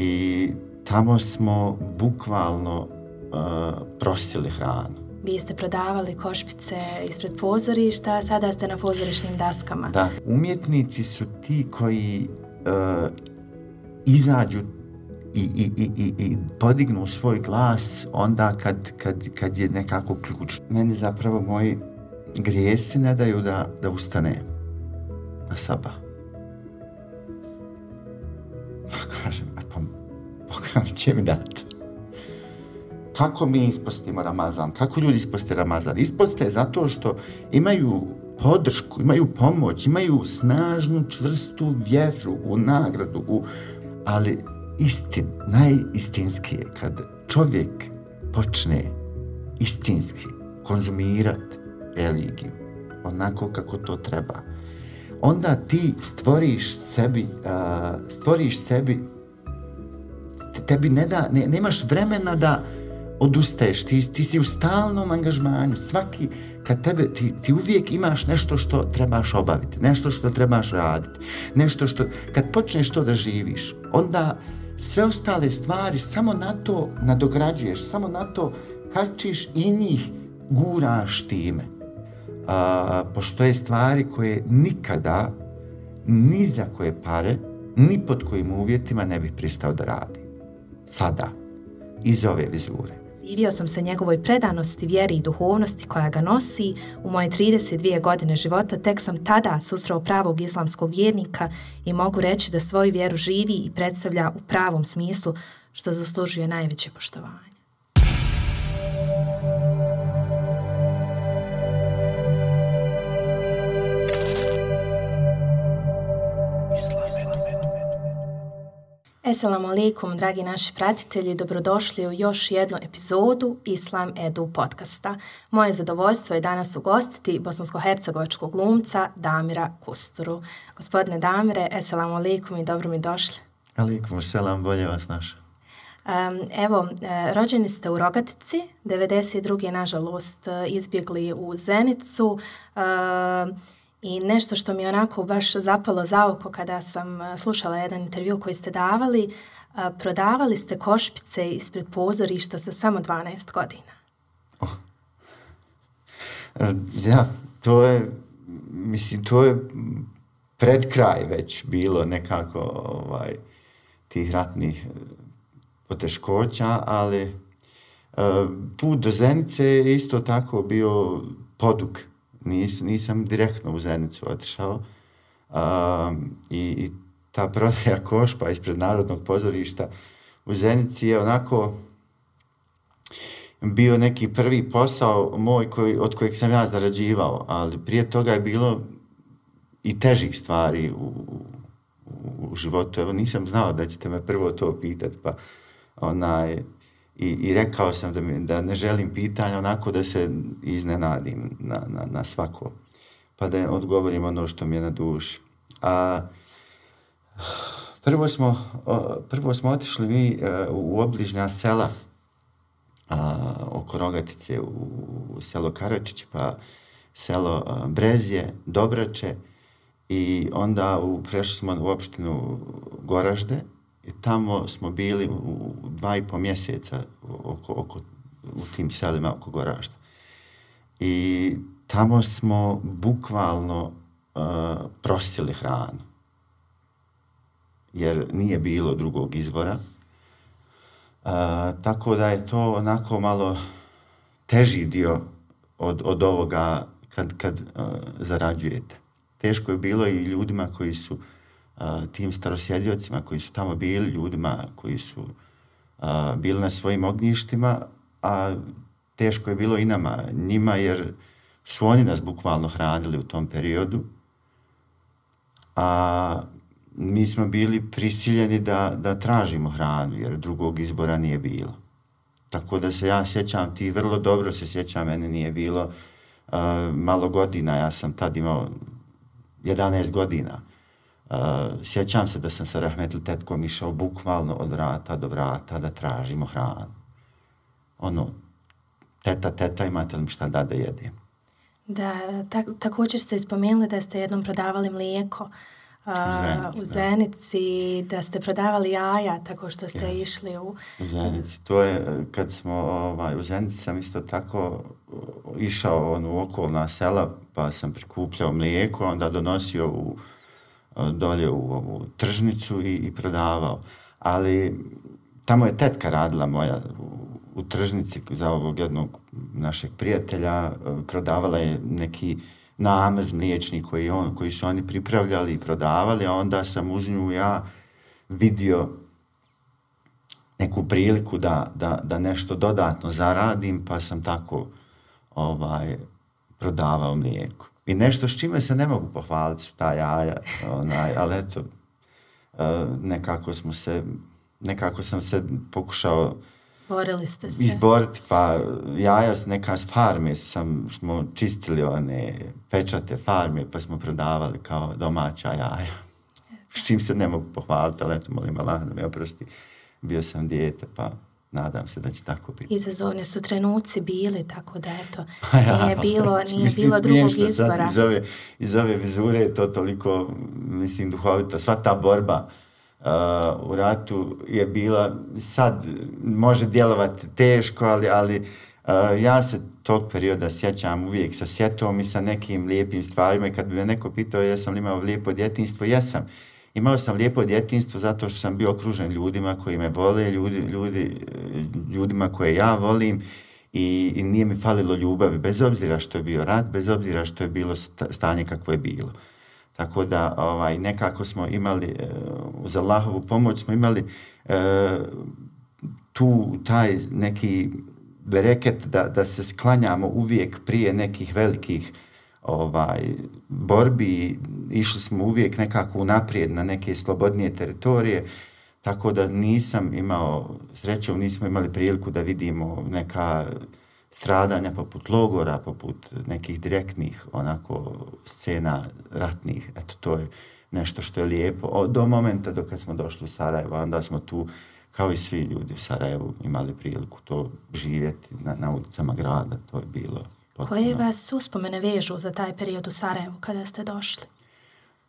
I tamo smo bukvalno prosili hranu. Vi ste prodavali košpice ispred pozorišta, a sada ste na pozorišnim daskama. Da, umjetnici su ti koji izađu i podignu svoj glas onda kad je nekako ključ. Meni zapravo moji grijesi ne daju da ustane na sabah. Kažem, pa Bog mi će mi dati. Kako mi ispostimo Ramazan? Kako ljudi isposte Ramazan? Isposte zato što imaju podršku, imaju pomoć, imaju snažnu, čvrstu vjeru u nagradu. Ali najistinski je kad čovjek počne istinski konzumirati religiju onako kako to treba. Onda ti stvoriš sebi, tebi nemaš vremena da odustaješ, ti si u stalnom angažmanju, kad tebe, ti uvijek imaš nešto što trebaš obaviti, nešto što trebaš raditi, kad počneš to da živiš, onda sve ostale stvari samo na to nadograđuješ, samo na to kačiš i njih guraš time. Postoje stvari koje nikada, ni za koje pare, ni pod kojim uvjetima ne bih pristao da radi. Sada, iz ove vizure. Divio sam se njegovoj predanosti, vjeri i duhovnosti koja ga nosi. U moje 32 godine života tek sam tada susreo pravog islamskog vjernika i mogu reći da svoju vjeru živi i predstavlja u pravom smislu, što zaslužuje najveće poštovanje. Assalamu alaikum, dragi naši pratitelji, dobrodošli u još jednu epizodu Islam Edu podcasta. Moje zadovoljstvo je danas ugostiti bosansko-hercegovačkog glumca Damira Kusturu. Gospodine Damire, assalamu alaikum i dobro mi došli. Alaikum selam, bolje vas naša. Rođeni ste u Rogatici, 92. nažalost izbjegli u Zenicu. I nešto što mi je onako baš zapalo za oko kada sam slušala jedan intervju koji ste davali, prodavali ste košpice ispred pozorišta sa samo 12 godina. To je pred kraj već bilo nekako tih ratnih poteškoća, ali put do Zenice je isto tako bio podug. Nisam direktno u Zenicu otišao i ta prodaja košpa ispred Narodnog pozorišta u Zenici je onako bio neki prvi posao moj od kojeg sam ja zarađivao, ali prije toga je bilo i težih stvari u životu. Evo, nisam znao da ćete me prvo to pitati, pa I rekao sam da ne želim pitanja, onako da se iznenadim na svako, pa da odgovorim ono što mi je na duši. Prvo smo otišli mi u obližnja sela oko Rogatice, u selo Karačić, pa selo Brezje, Dobrače, i onda prešli smo u opštinu Goražde. I tamo smo bili u 2,5 mjeseca u tim selima oko Goražda. I tamo smo bukvalno prosili hranu. Jer nije bilo drugog izvora. Tako da je to onako malo teži dio od ovoga kad zarađujete. Teško je bilo i ljudima koji su tim starosjediocima koji su tamo bili, ljudima koji su bili na svojim ognjištima, a teško je bilo i njima, jer su oni nas bukvalno hranili u tom periodu, a mi smo bili prisiljeni da tražimo hranu, jer drugog izbora nije bilo. Tako da se ja sjećam, ti vrlo dobro se sjećam, mene nije bilo malo godina, ja sam tad imao 11 godina. Sjećam se da sam sa rahmetli tetkom išao bukvalno od vrata do vrata da tražimo hranu. Teta, imate li mi šta da jedem? Da, također ste spomenuli da ste jednom prodavali mlijeko. u Zenici, da ste prodavali jaja tako što ste išli u Zenici. To je, kad smo u Zenici sam isto tako išao u okolna sela, pa sam prikupljao mlijeko, onda donosio dolje u ovu tržnicu i prodavao. Ali tamo je tetka radila moja u tržnici za ovog jednog našeg prijatelja, prodavala je neki namaz mliječni koji su oni pripravljali i prodavali, a onda sam uz nju ja vidio neku priliku da nešto dodatno zaradim, pa sam tako prodavao mlijeko. I nešto s čime se ne mogu pohvaliti su ta jaja, ali eto, nekako sam se pokušao borili ste se izboriti, pa jaja neka s farme smo čistili one pečate farme, pa smo prodavali kao domaća jaja. S čim se ne mogu pohvaliti, ali eto, molim Allah da me oprosti. Bio sam dijete, pa nadam se da će tako biti. Izazovni su trenuci bili, tako da eto, nije bilo drugog izbora. Iz ove vizure je to toliko, mislim, duhovito. Sva ta borba u ratu je bila, sad može djelovati teško, ali ja se tog perioda sjećam uvijek sa sjetom i sa nekim lijepim stvarima, i kad bi me neko pitao jesam li imao lijepo djetinjstvo, jesam. Imao sam lijepo djetinjstvo zato što sam bio okružen ljudima koji me vole, ljudima koje ja volim, i nije mi falilo ljubavi, bez obzira što je bio rat, bez obzira što je bilo stanje kakvo je bilo. Tako da nekako smo imali, uz Allahovu pomoć smo imali taj neki bereket da se sklanjamo uvijek prije nekih velikih borbi, išli smo uvijek nekako unaprijed na neke slobodnije teritorije, tako da nisam imao, srećom nismo imali priliku da vidimo neka stradanja poput logora, poput nekih direktnih scena ratnih. Eto, to je nešto što je lijepo. Do momenta dok smo došli u Sarajevo, onda smo tu, kao i svi ljudi u Sarajevu, imali priliku to živjeti na ulicama grada. To je bilo potpuno. Koje vas uspomene vežu za taj period u Sarajevu kada ste došli?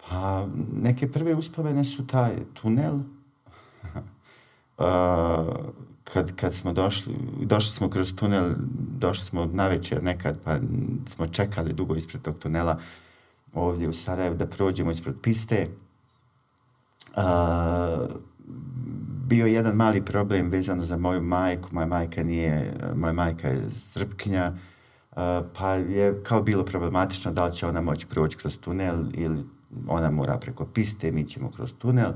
Pa, neke prve uspomene su taj tunel. Kad smo došli smo kroz tunel, došli smo navečer nekad, pa smo čekali dugo ispred tog tunela ovdje u Sarajevu da prođemo ispred piste. Bio je jedan mali problem vezano za moju majku. Moja majka je Srpkinja, pa je kao bilo problematično da li će ona moći proći kroz tunel ili ona mora preko piste, mi ćemo kroz tunel.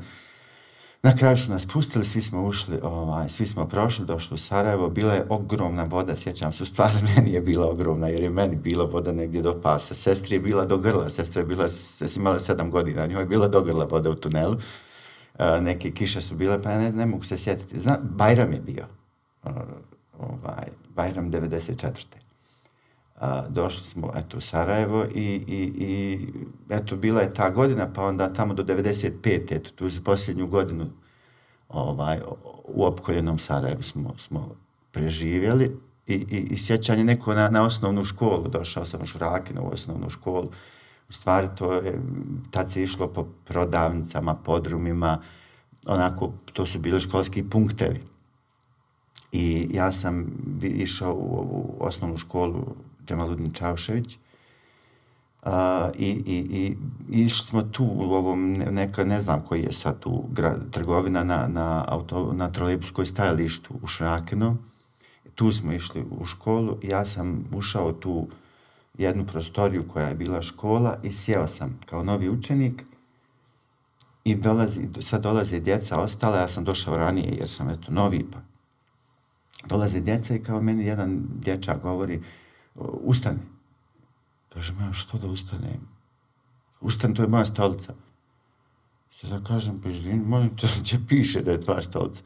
Na kraju su nas pustili, svi smo ušli, svi smo prošli, došli u Sarajevo, bila je ogromna voda, sjećam se, stvarno meni je bila ogromna, jer je meni bila voda negdje do pasa, sestri je bila do grla, sestra je imala 7 godina, njoj je bila do grla voda u tunelu, neke kiše su bile, pa ne mogu se sjetiti. Bajram je bio, Bajram 94. Došli smo u Sarajevo i eto, bila je ta godina, pa onda tamo do 95. Eto, tu za posljednju godinu u opkoljenom Sarajevu smo preživjeli i sjećanje neko na osnovnu školu. Došao sam u Švrakinu u osnovnu školu. U stvari tad se išlo po prodavnicama, podrumima, to su bili školski punktevi. I ja sam išao u osnovnu školu Džemaludin Čaušević i išli smo tu u ovom, ne znam koji je sad tu trgovina na trolejbuskoj stajalištu u Švrakinu. Tu smo išli u školu i ja sam ušao tu jednu prostoriju koja je bila škola i sjeo sam kao novi učenik i sad dolaze djeca ostala, ja sam došao ranije jer sam novi, pa dolaze djeca i kao meni jedan dječak govori: ustani. Kažem, ja što da ustanem? Ustani, to je moja stolica. Sada kažem, pa izvini, molim te, gdje piše da je tvoja stolica?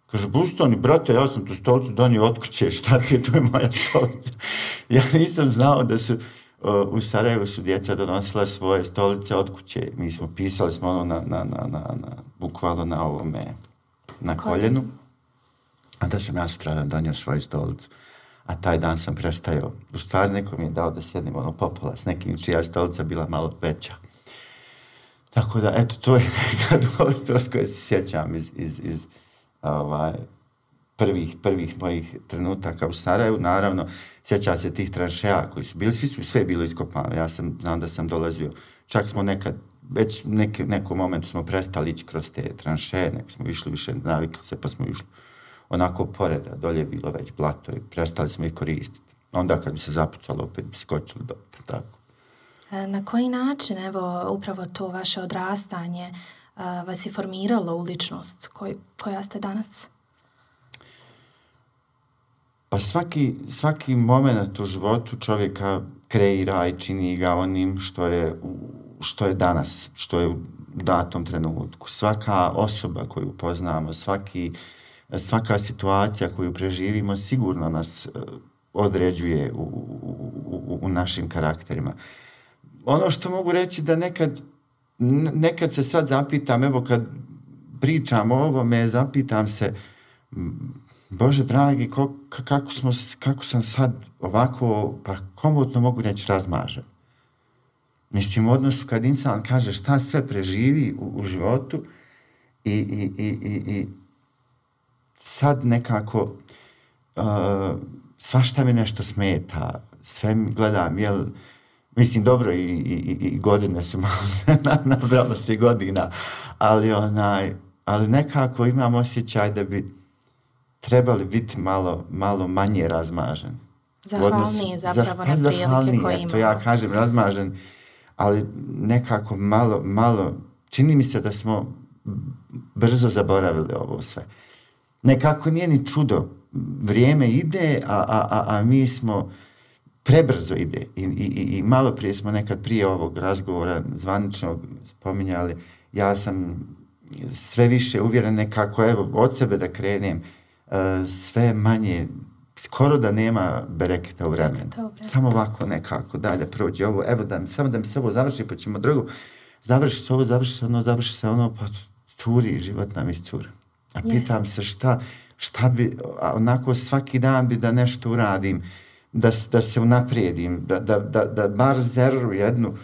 Kaže, ustani, brate, ja sam tu stolicu donio od kuće, šta ti je, to je moja stolica. Ja nisam znao da su, u Sarajevu su djeca donosila svoje stolice od kuće. Mi smo pisali bukvalno na ovome, na koljenu. A da sam ja sutradan donio svoju stolicu. A taj dan sam prestajao. U stvari neko mi je dao da sjednem popola s nekim čija stolica bila malo veća. Tako da, eto, to je to koje se sjećam iz prvih mojih trenutaka u Sarajevu. Naravno, sjećam se tih tranšeja koji su bili, sve je bilo iskopano. Ja znam da sam dolazio, čak smo nekad, već nekom momentu smo prestali ići kroz te tranšeje, nek smo išli više, navikli se, pa smo išli onako pored, a dolje je bilo već blato i prestali smo ih koristiti. Onda kad bi se zapucalo, opet bi skočili do tako. Na koji način, evo, upravo to vaše odrastanje vas je formiralo u ličnost koja ste danas? Pa svaki moment u životu čovjeka kreira i čini ga onim što je danas, što je u datom trenutku. Svaka osoba koju poznamo, svaka situacija koju preživimo sigurno nas određuje u našim karakterima. Ono što mogu reći da nekad se sad zapitam, evo kad pričam o ovome, zapitam se, Bože dragi, kako sam sad ovako, pa komotno mogu reći, razmažen. Mislim, u odnosu kad insan kaže šta sve preživi u životu i sad nekako svašta mi nešto smeta, sve gledam, mislim, dobro, i godine su malo, nabralo se godina, ali nekako imam osjećaj da bi trebali biti malo manje razmažen. Zahvalniji zapravo na prilike koje imamo. To ja kažem razmažen, ali nekako malo, čini mi se da smo brzo zaboravili ovo sve. Nekako nije ni čudo, vrijeme ide, a mi smo, prebrzo ide i malo prije smo nekad prije ovog razgovora zvaničnog spominjali, ja sam sve više uvjeren nekako, evo, od sebe da krenem, sve manje, skoro da nema bereketa u vremenu. Samo ovako nekako, da prođe ovo, evo samo da mi se ovo završi, pa ćemo drugo. Završi se ono, pa curi, život nam iscuri. A pitam se šta bi, onako svaki dan bi da nešto uradim, da se unaprijedim, da bar zerru jednu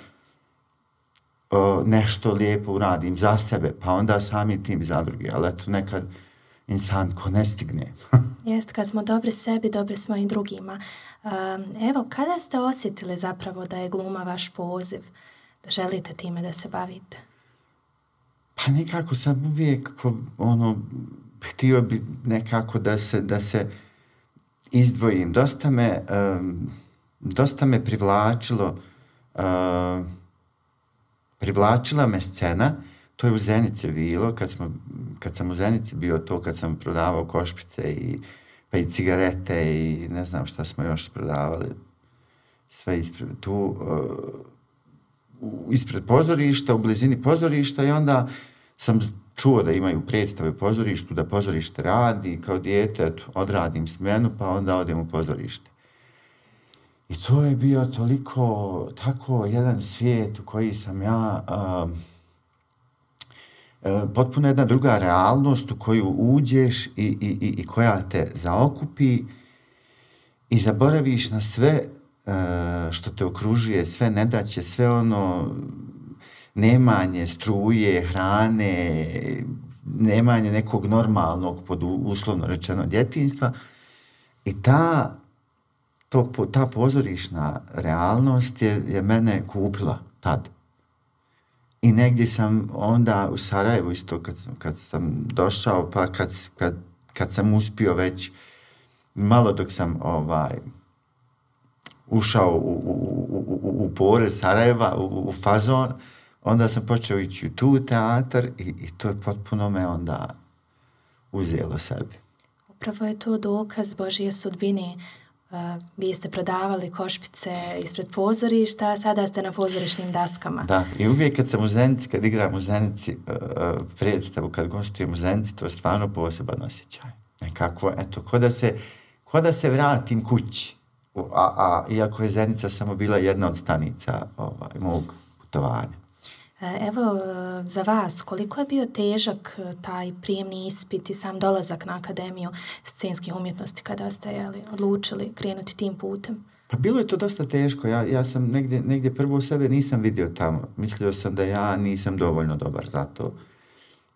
nešto lijepo uradim za sebe, pa onda samim tim za druge, ali eto nekad insan ko ne stigne. Jest, kad smo dobri sebi, dobri smo i drugima. Evo, kada ste osjetili zapravo da je gluma vaš poziv, da želite time da se bavite? Pa nekako sam uvijek htio bi nekako da se izdvojim. Dosta me privlačila me scena. To je u Zenici bilo, kad sam u Zenici bio to, kad sam prodavao košpice pa i cigarete i ne znam šta smo još prodavali, sve ispred pozorišta, u blizini pozorišta, i onda sam čuo da imaju predstave u pozorištu, da pozorište radi, kao dijete, odradim smjenu, pa onda odem u pozorište. I to je bio tako jedan svijet u koji sam ja... potpuno jedna druga realnost u koju uđeš i koja te zaokupi i zaboraviš na sve što te okružuje, sve nedaće, sve ono nemanje struje, hrane, nemanje nekog normalnog, pod uslovno rečeno, djetinjstva. I ta pozorišna realnost je mene kupila tad. I negdje sam onda u Sarajevu isto kad sam došao, pa kad sam uspio već malo dok sam ušao u pore Sarajeva, u fazon, onda sam počeo ići u tu teatar i to je potpuno me onda uzelo sebi. Upravo je to dokaz Božje sudbine. Vi ste prodavali košpice ispred pozorišta, a sada ste na pozorišnim daskama. Da, i uvijek kad sam u Zenici, kad igram u Zenici predstavu, kad gostujem u Zenici, to je stvarno poseban osjećaj. Nekako, eto, ko da se vratim kući. Iako je Zenica samo bila jedna od stanica mog putovanja. Evo, za vas, koliko je bio težak taj prijemni ispit i sam dolazak na Akademiju scenskih umjetnosti kada ste odlučili krenuti tim putem? Pa bilo je to dosta teško. Ja sam negdje prvo sebe nisam vidio tamo. Mislio sam da ja nisam dovoljno dobar za to.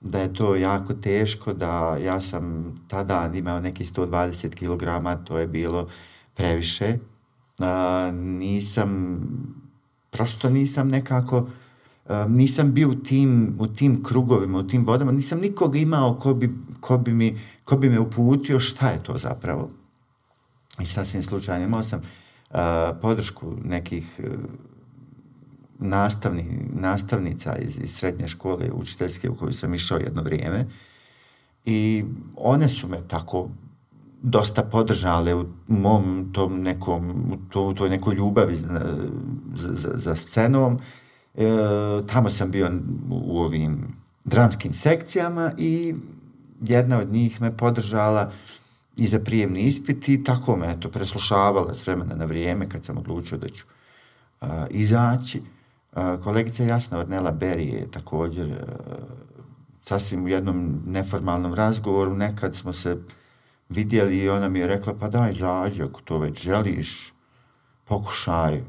Da je to jako teško, da ja sam tada imao neki 120 kg, to je bilo previše. Prosto nisam nekako, nisam bio u tim krugovima, u tim vodama, nisam nikog imao ko bi me uputio šta je to zapravo. I sasvim slučajno imao sam podršku nekih nastavnica iz srednje škole učiteljske u koju sam išao jedno vrijeme i one su me tako dosta podržale u mom tom u toj nekoj ljubavi za scenom. Tamo sam bio u ovim dramskim sekcijama i jedna od njih me podržala i za prijemni ispit i tako me preslušavala s vremena na vrijeme kad sam odlučio da ću izaći. Kolegica Jasna Ornella Berry je također sasvim u jednom neformalnom razgovoru, nekad smo se vidjeli i ona mi je rekla, pa daj izađi ako to već želiš, pokušaj,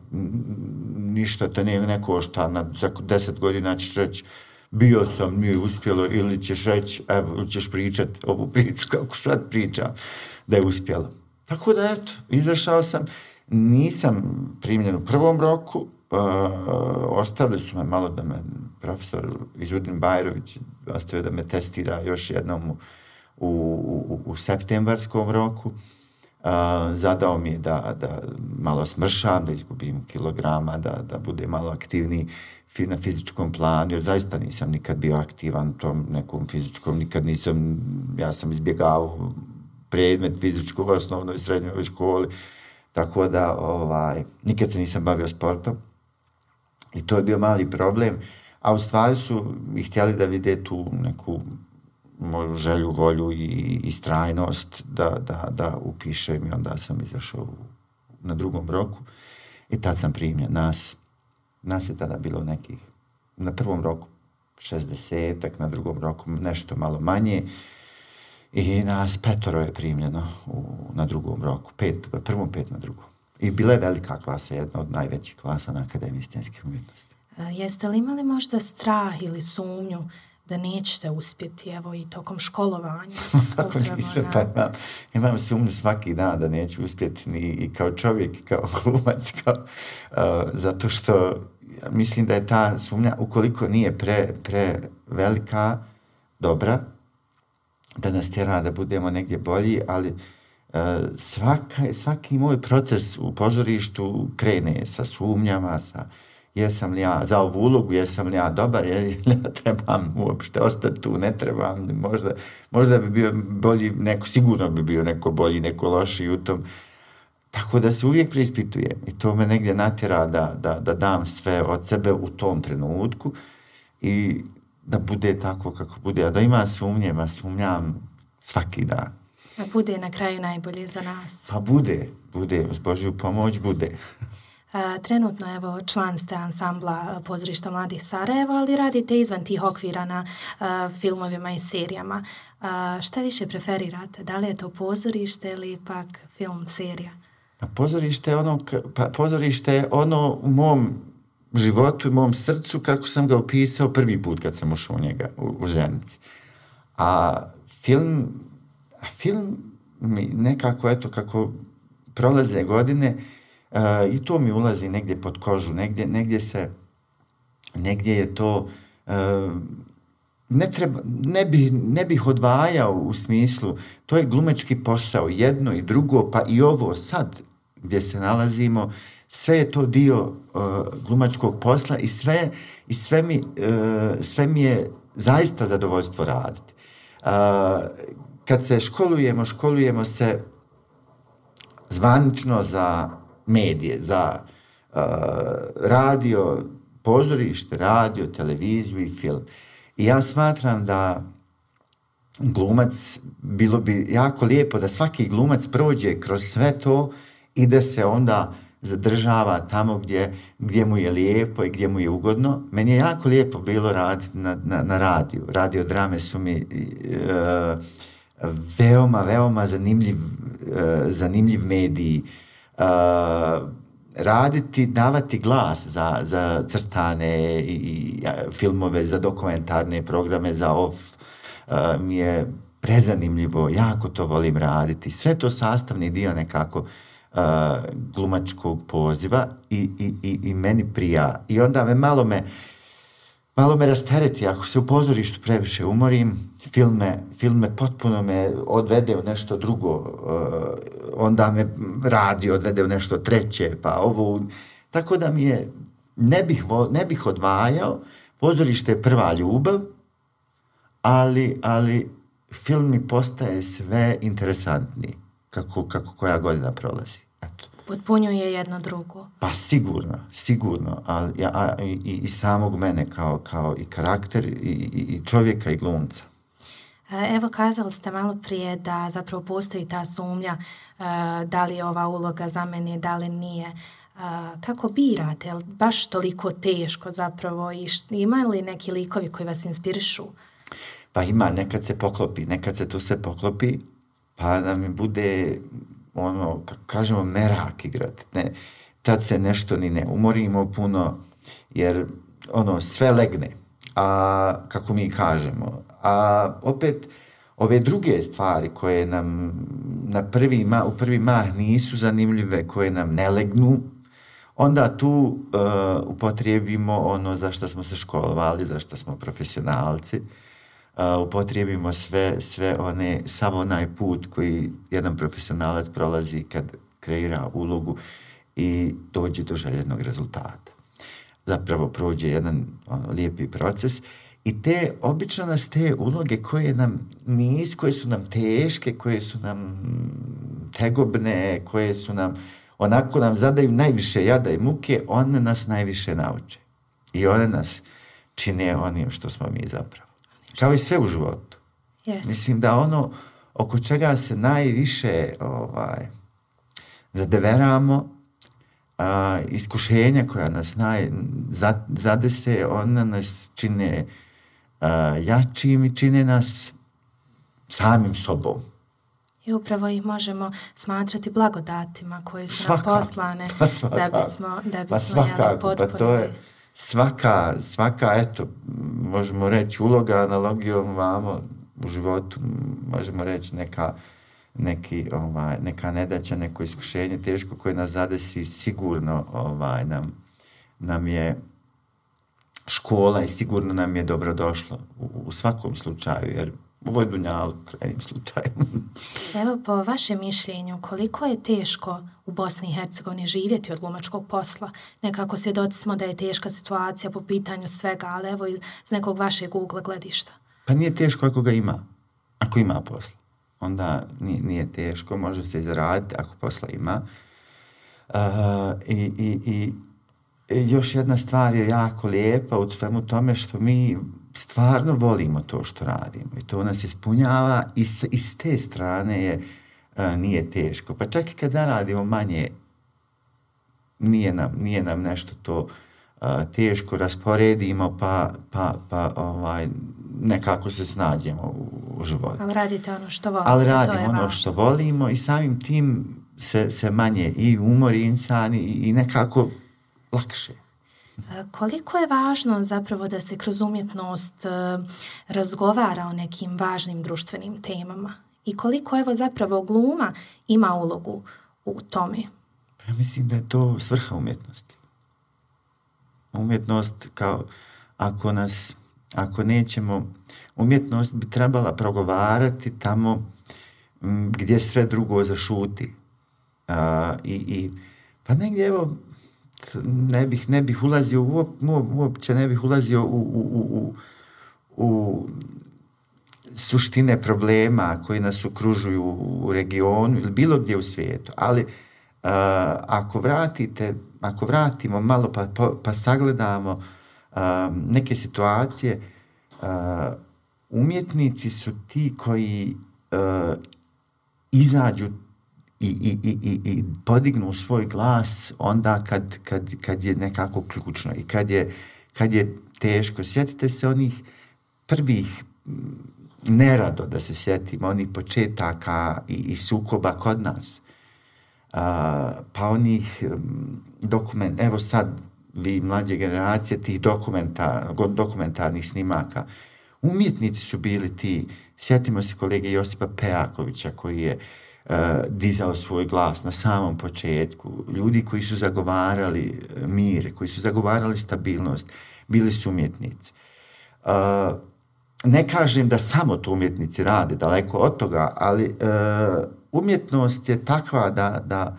ništa te ne košta, za 10 godina ćeš reći, bio sam, nije uspjelo, ili ćeš reći, evo, ćeš pričati ovu priču kako sad pričam, da je uspjelo. Tako da, eto, izašao sam, nisam primljen u prvom roku, ostavili su me malo da me profesor Izudin Bajrović ostavio da me testira još jednom u septembarskom roku. Zadao mi je da malo smršam, da izgubim kilograma, da bude malo aktivniji na fizičkom planu, jer zaista nisam nikad bio aktivan u tom nekom fizičkom, ja sam izbjegavao predmet fizičkog u osnovnoj i srednjoj školi, tako da nikad se nisam bavio sportom i to je bio mali problem, a u stvari su i htjeli da vide tu neku moju želju, volju i istrajnost da upišem i onda sam izašao na drugom roku i tad sam primljen. Nas je tada bilo nekih, na prvom roku 60-ak, na drugom roku nešto malo manje i nas 5 je primljeno na drugom roku, prvom 5 na drugom. I bila je velika klasa, jedna od najvećih klasa na Akademiji scenskih umjetnosti. Jeste li imali možda strah ili sumnju da nećete uspjeti, evo, i tokom školovanja? Kako nisam, imam sumnju svaki dan da neću uspjeti i kao čovjek, i kao glumac, zato što mislim da je ta sumnja, ukoliko nije prevelika, dobra, da nas tjera da budemo negdje bolji, ali svaki moj proces u pozorištu krene sa sumnjama, jesam li ja za ovu ulogu, jesam li ja dobar, ja trebam uopšte ostati tu, ne trebam, možda bi bio bolji, sigurno bi bio neko bolji, neko lošiji u tom. Tako da se uvijek preispitujem i to me negdje natjera da dam sve od sebe u tom trenutku i da bude tako kako bude, a da ima sumnjam svaki dan. A bude na kraju najbolje za nas. Pa bude, uz Božju pomoć bude. Trenutno, evo, član ste ansambla Pozorišta mladih Sarajeva, ali radite izvan tih okvira na filmovima i serijama. Šta više preferirate? Da li je to pozorište ili pak film, serija? Pozorište je ono u mom životu, u mom srcu kako sam ga opisao prvi put kad sam ušao u njega, u Ženici. A film mi nekako, eto, kako prolaze godine, i to mi ulazi negdje pod kožu, negdje je to, ne bih odvajao u smislu, to je glumački posao, jedno i drugo, pa i ovo sad gdje se nalazimo, sve je to dio glumačkog posla i sve mi je zaista zadovoljstvo raditi. Kad se školujemo se zvanično za medije, za radio, pozorište, radio, televiziju i film. I ja smatram da glumac, bilo bi jako lijepo da svaki glumac prođe kroz sve to i da se onda zadržava tamo gdje mu je lijepo i gdje mu je ugodno. Meni je jako lijepo bilo raditi na radiju. Radiodrame su mi veoma zanimljiv medij. raditi, davati glas za crtane i filmove, za dokumentarne programe, za mi je prezanimljivo, jako to volim raditi. Sve to sastavni dio nekako glumačkog poziva i meni prija. I onda malo me rastereti, ako se u pozorištu previše umorim, film me potpuno me odvede u nešto drugo, onda me radio odvede u nešto treće, pa ovo, tako da mi je, ne bih odvajao, pozorište je prva ljubav, ali film mi postaje sve interesantniji, kako koja godina prolazi. Eto. Potpunjuje jedno drugo. Pa sigurno, ali i samog mene kao i karakter i čovjeka i glumca. Evo, kazali ste malo prije da zapravo postoji ta sumnja da li je ova uloga za mene, da li nije. Kako birate? Je li baš toliko teško zapravo? I ima li neki likovi koji vas inspirišu? Pa ima, nekad se to sve poklopi, pa da mi bude kažemo, merak igrat. Ne, tad se nešto ni ne umorimo puno, jer sve legne, a kako mi kažemo. A opet, ove druge stvari koje nam u prvi mah nisu zanimljive, koje nam ne legnu, onda tu upotrijebimo za što smo se školovali, za što smo profesionalci, upotrijebimo sav onaj put koji jedan profesionalac prolazi kad kreira ulogu i dođe do željenog rezultata. Zapravo prođe jedan lijepi proces i obično nas te uloge koje su nam teške, koje su nam tegobne, koje su nam onako nam zadaju najviše jada i muke, one nas najviše nauče. I one nas čine onim što smo mi zapravo. Kao i sve u životu. Yes. Mislim da oko čega se najviše zadeveramo, iskušenja koja nas zadese, ona nas čine jačim i čine nas samim sobom. I upravo ih možemo smatrati blagodatima koje su nam poslane da bismo potpunili. To je svaka, eto, možemo reći uloga, analogijom vamo u životu, možemo reći neka nedaća, neko iskušenje teško koje nas zadesi, sigurno nam je škola i sigurno nam je dobrodošlo u svakom slučaju, jer ovo je dunjalu krajnjim slučajem. Evo, po vašem mišljenju, koliko je teško u Bosni i Hercegovini živjeti od glumačkog posla? Nekako svjedoci smo da je teška situacija po pitanju svega, ali evo iz nekog vašeg ugla gledišta. Pa nije teško ako ga ima. Ako ima posla. Onda nije teško, može se izraditi ako posla ima. I još jedna stvar je jako lijepa u svemu tome što mi stvarno volimo to što radimo i to nas ispunjava i s te strane nije teško. Pa čak i kad radimo manje, nije nam nešto to teško, rasporedimo pa nekako se snađemo u životu. Ali radite ono što volite. Ali radimo što volimo i samim tim se manje i umori insan i nekako lakše. Koliko je važno zapravo da se kroz umjetnost razgovara o nekim važnim društvenim temama i koliko evo zapravo gluma ima ulogu u tome? Ja mislim da je to svrha umjetnosti. Umjetnost ako nećemo, umjetnost bi trebala progovarati tamo gdje sve drugo zašuti. Pa negdje evo ne bih ulazio uopće ne bih ulazio u suštine problema koji nas okružuju u regionu ili bilo gdje u svijetu, ali ako vratimo malo pa sagledamo neke situacije, umjetnici su ti koji izađu i podignu svoj glas onda kad je nekako ključno i kad je teško. Sjetite se onih prvih, nerado da se sjetimo, onih početaka i sukoba kod nas. pa onih evo sad vi mlađe generacije tih dokumentarnih snimaka. Umjetnici su bili ti, sjetimo se kolege Josipa Pejakovića koji je dizao svoj glas na samom početku, ljudi koji su zagovarali mir, koji su zagovarali stabilnost, bili su umjetnici. Ne kažem da samo to umjetnici rade, daleko od toga, ali umjetnost je takva da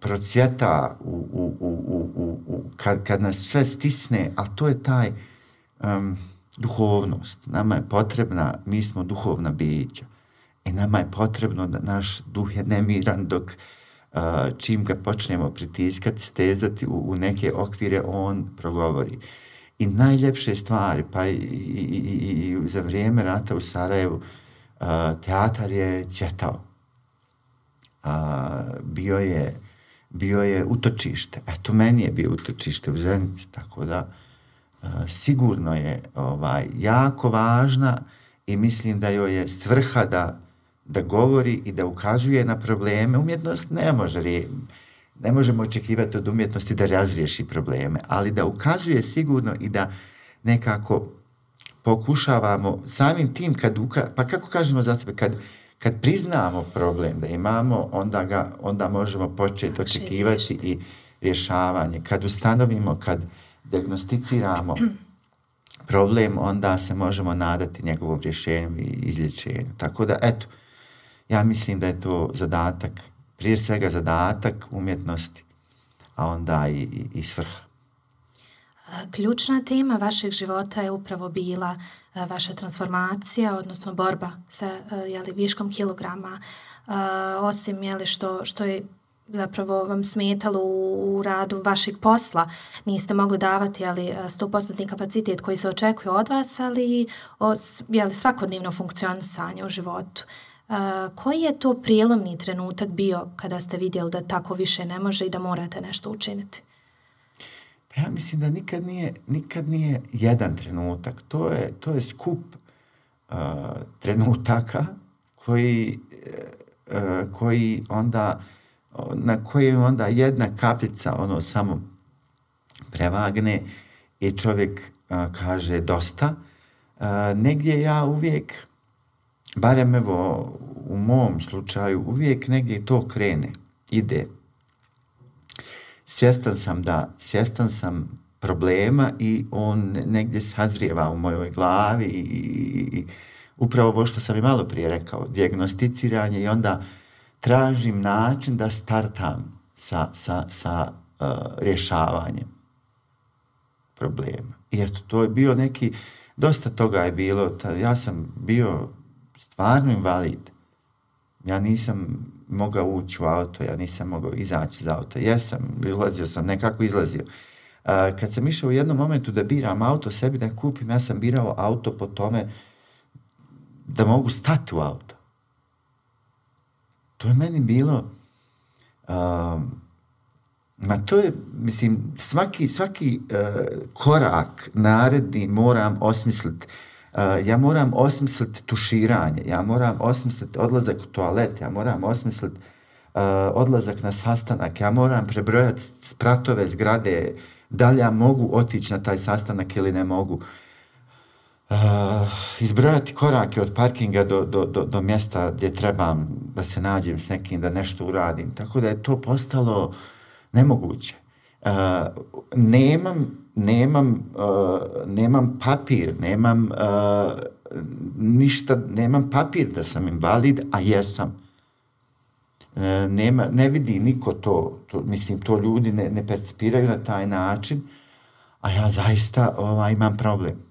procvjeta kad nas sve stisne, a to je taj duhovnost. Nama je potrebna, mi smo duhovna bića i nama je potrebno da naš duh je nemiran dok čim ga počnemo pritiskati, stezati u neke okvire, on progovori. I najljepše stvari, pa i za vrijeme rata u Sarajevu, teatar je cvjetao. Bio je utočište. Eto, meni je bio utočište u Zenici, tako da sigurno je jako važna i mislim da joj je svrha da govori i da ukazuje na probleme. Umjetnost ne možemo očekivati od umjetnosti da razriješi probleme, ali da ukazuje sigurno i da nekako pokušavamo samim tim, pa kako kažemo za sebe, kad priznamo problem da imamo, onda možemo početi očekivati i rješavanje. Kad ustanovimo, kad dijagnosticiramo problem, onda se možemo nadati njegovom rješenju i izlječenju. Tako da, eto, ja mislim da je to zadatak, prije svega zadatak umjetnosti, a onda i svrha. Ključna tema vašeg života je upravo bila vaša transformacija, odnosno borba sa viškom kilograma. Osim što je zapravo vam smetalo u radu vašeg posla, niste mogli davati 100% kapacitet koji se očekuje od vas, ali svakodnevno funkcionisanje u životu. Koji je to prijelomni trenutak bio kada ste vidjeli da tako više ne može i da morate nešto učiniti? Ja mislim da nikad nije jedan trenutak. To je skup trenutaka koji onda, na kojem onda jedna kapljica samo prevagne i čovjek kaže dosta. Negdje ja uvijek, barem evo u mom slučaju, uvijek negdje to krene, ide. Svjestan sam problema i on negdje sazrijeva u mojoj glavi i upravo ovo što sam i malo prije rekao, dijagnosticiranje, i onda tražim način da startam sa rješavanjem problema. I eto, to je bio dosta toga je bilo, ja sam bio stvarno invalid. Ja nisam mogao ući u auto, ja nisam mogao izaći iz auta. Izlazio sam, nekako izlazio. Kad sam išao u jednom momentu da biram auto sebi da kupim, ja sam birao auto po tome da mogu stati u auto. To je meni bilo, to je, mislim, svaki korak naredni moram osmisliti. Ja moram osmisliti tuširanje, ja moram osmisliti odlazak u toalet, ja moram osmisliti odlazak na sastanak, ja moram prebrojati spratove zgrade, da li ja mogu otići na taj sastanak ili ne mogu. Izbrojati korake od parkinga do mjesta gdje trebam da se nađem s nekim, da nešto uradim. Tako da je to postalo nemoguće. Nemam papir, nemam ništa, nemam papir da sam invalid, a jesam. Ne vidi niko to, mislim, to ljudi ne percipiraju na taj način, a ja zaista imam problem.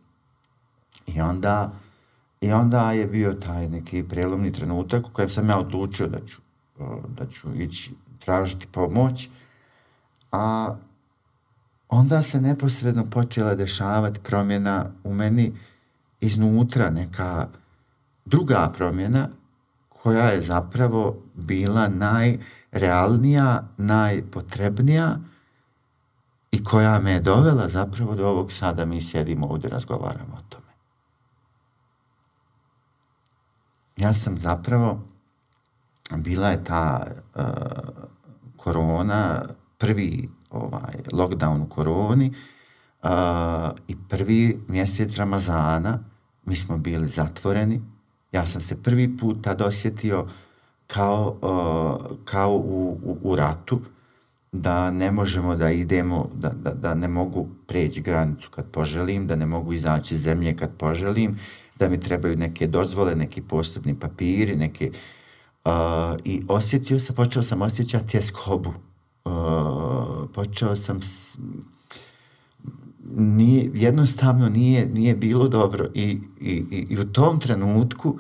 I onda je bio taj neki prijelomni trenutak u kojem sam ja odlučio da ću ići tražiti pomoć, a onda se neposredno počela dešavati promjena u meni iznutra, neka druga promjena koja je zapravo bila najrealnija, najpotrebnija i koja me je dovela zapravo do ovog sada mi sjedimo ovdje, razgovaramo o tome. Ja sam zapravo bila je ta korona, prvi lockdown u koroni i prvi mjesec Ramazana, mi smo bili zatvoreni. Ja sam se prvi put tad osjetio kao u ratu, da ne možemo da idemo, da ne mogu preći granicu kad poželim, da ne mogu izaći iz zemlje kad poželim, da mi trebaju neke dozvole, neki posebni papiri, neke... I počeo sam osjećati tjeskobu. Počeo sam... jednostavno nije bilo dobro i u tom trenutku,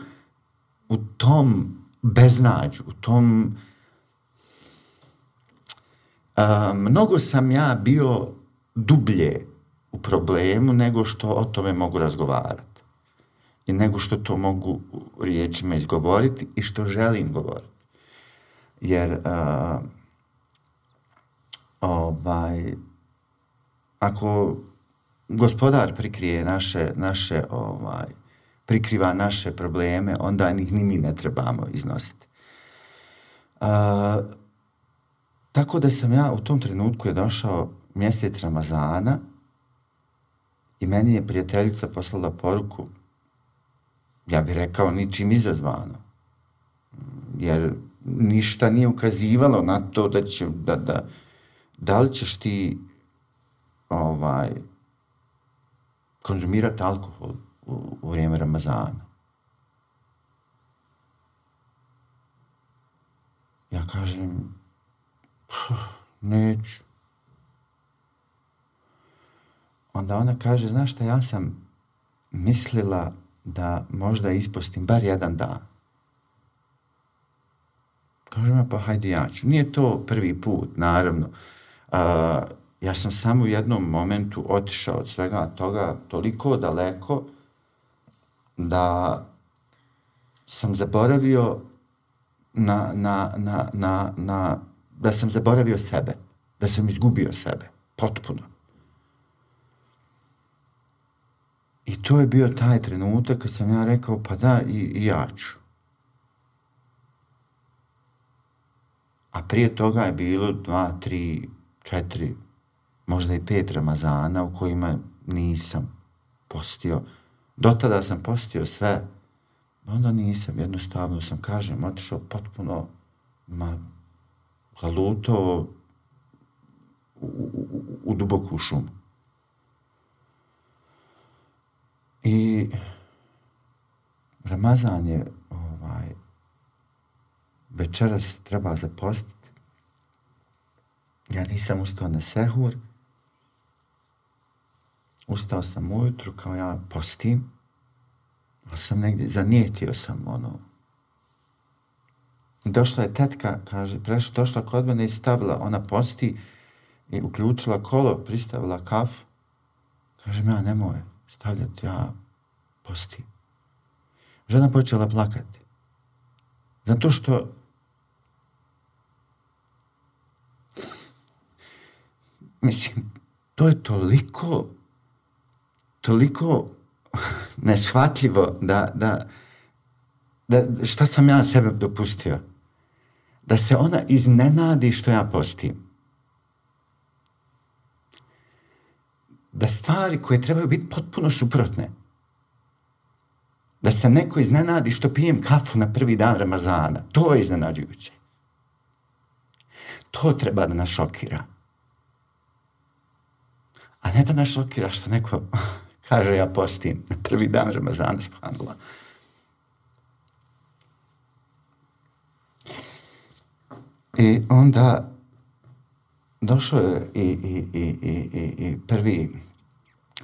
u tom beznađu, u tom... mnogo sam ja bio dublje u problemu nego što o tome mogu razgovarati. I nego što to mogu riječima izgovoriti i što želim govoriti. Jer ako Gospodar prikriva naše probleme, onda ih ni mi ne trebamo iznositi. Tako da sam ja u tom trenutku je došao mjesec Ramazana i meni je prijateljica poslala poruku, ja bih rekao ničim izazvano, jer ništa nije ukazivalo na to da li ćeš ti konzumirati alkohol u vrijeme Ramazana. Ja kažem, neću. Onda ona kaže, znaš šta, ja sam mislila da možda ispostim bar jedan dan. Kažem, pa hajde ja ću. Nije to prvi put, naravno. Ja sam samo u jednom momentu otišao od svega toga toliko daleko da sam zaboravio da sam zaboravio sebe, da sam izgubio sebe, potpuno. I to je bio taj trenutak kad sam ja rekao, pa da, i ja ću. A prije toga je bilo 2, 3, 4, možda i 5 Ramazana u kojima nisam postio. Do tada sam postio sve, onda nisam, jednostavno sam, kažem, otišao potpuno, zalutao u duboku šumu. I Ramazan je večeras treba zapostiti. Ja nisam ustao na sehur. Ustao sam ujutru kao ja postim. Ali sam negdje, zanijetio sam Došla je tetka, kaže, došla kod mene i stavila, ona posti i uključila kolo, pristavila kafu. Kažem, ja nemoj stavljati, ja postim. Žena počela plakati. Zato što mislim, to je toliko neshvatljivo da šta sam ja sebe dopustio. Da se ona iznenadi što ja postim. Da stvari koje trebaju biti potpuno suprotne. Da se neko iznenadi što pijem kafu na prvi dan Ramazana. To je iznenađujuće. To treba da nas šokira. A ne da nas šokira što neko kaže ja postim na prvi dan Ramazana, subhanallah. I onda došao je i prvi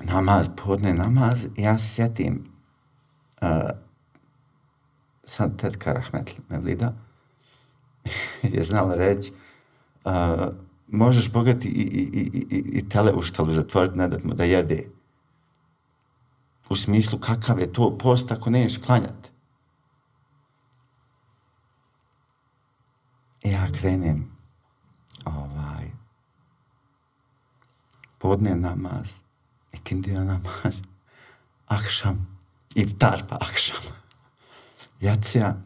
namaz, podne namaz, i ja se sjetim, sad tetka Rahmetli Mevlida je znala reći, možeš bogati i tele u štalu zatvoriti, ne dat mu da jede. U smislu kakav je to post ako neš klanjati. I ja krenem podne namaz, ikindija namaz, akšam, iftar pa akšam, jacija.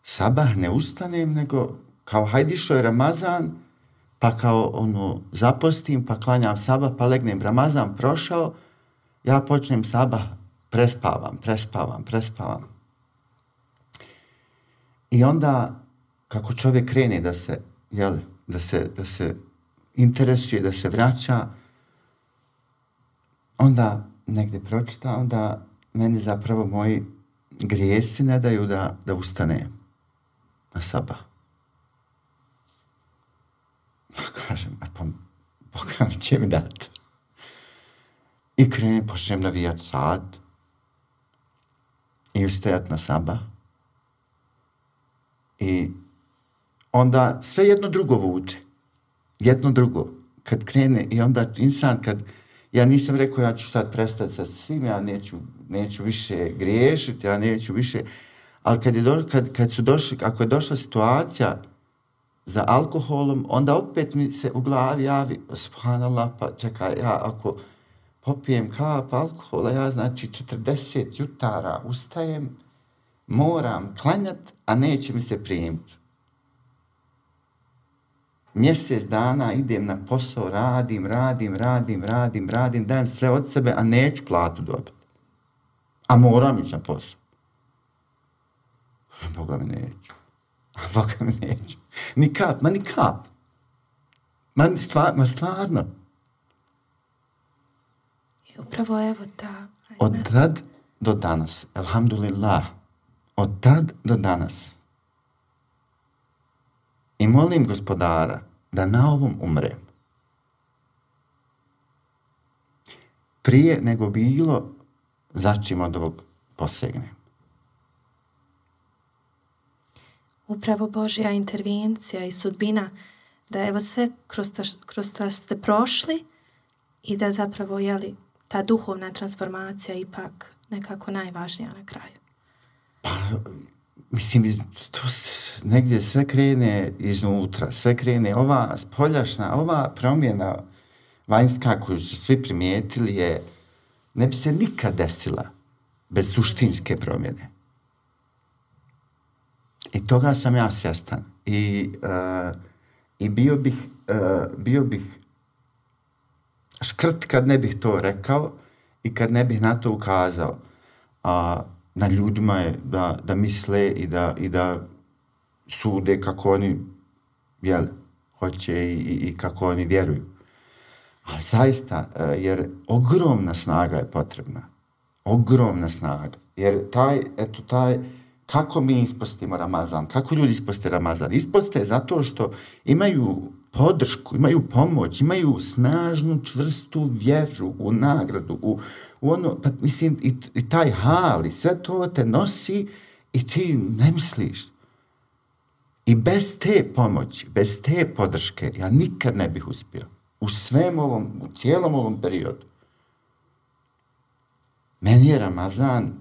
sabah ne ustanem, nego kao hajde išao je Ramazan, pa kao zapostim, pa klanjam sabah, pa legnem, Ramazan prošao, ja počnem sabah, prespavam. I onda, kako čovjek krene da se interesuje, da se vraća, onda negdje pročita, onda meni zapravo moji grijesi ne daju da ustane na sabah. Ja kažem, pa Boga mi će mi dati. I počnem navijat sat i ustajat na sabah. I onda sve jedno drugo vuče. Jedno drugo. Kad krene i onda insan, ja nisam rekao ja ću sad prestati sa svim, ja neću više griješiti, ja neću više, ali ako je došla situacija za alkoholom, onda opet mi se u glavi javi, subhanallah, pa čekaj, ja ako popijem kap alkohola, ja znači 40 jutara ustajem, moram klanjat, a neće mi se primiti. Mjesec dana idem na posao, radim, dajem sve od sebe, a neću platu dobiti. A moram ići na posao. Boga mi neću. Ni kap. Ma stvarno. I upravo evo ta... Od tad do danas, alhamdulillah, od tad do danas. I molim Gospodara da na ovom umrem. Prije nego bilo začim od ovog posegnem. Upravo Božja intervencija i sudbina da evo sve kroz to ste prošli i da zapravo ta duhovna transformacija ipak nekako najvažnija na kraju. Pa, mislim, to negdje sve krene iznutra, sve krene, ova spoljašna, ova promjena vanjska koju su svi primijetili ne bi se nikad desila bez suštinske promjene. I toga sam ja svjestan. I bio bih škrt kad ne bih to rekao i kad ne bih na to ukazao. Na ljudima je da misle i da sude kako oni hoće i kako oni vjeruju. Ali zaista, jer ogromna snaga je potrebna. Ogromna snaga. Jer taj kako mi ispostimo Ramazan? Kako ljudi isposte Ramazan? Isposte zato što imaju podršku, imaju pomoć, imaju snažnu, čvrstu vjeru u nagradu, u ono, pa mislim, i taj hal, i sve to te nosi i ti ne misliš. I bez te pomoći, bez te podrške, ja nikad ne bih uspio. U cijelom ovom periodu. Meni je Ramazan,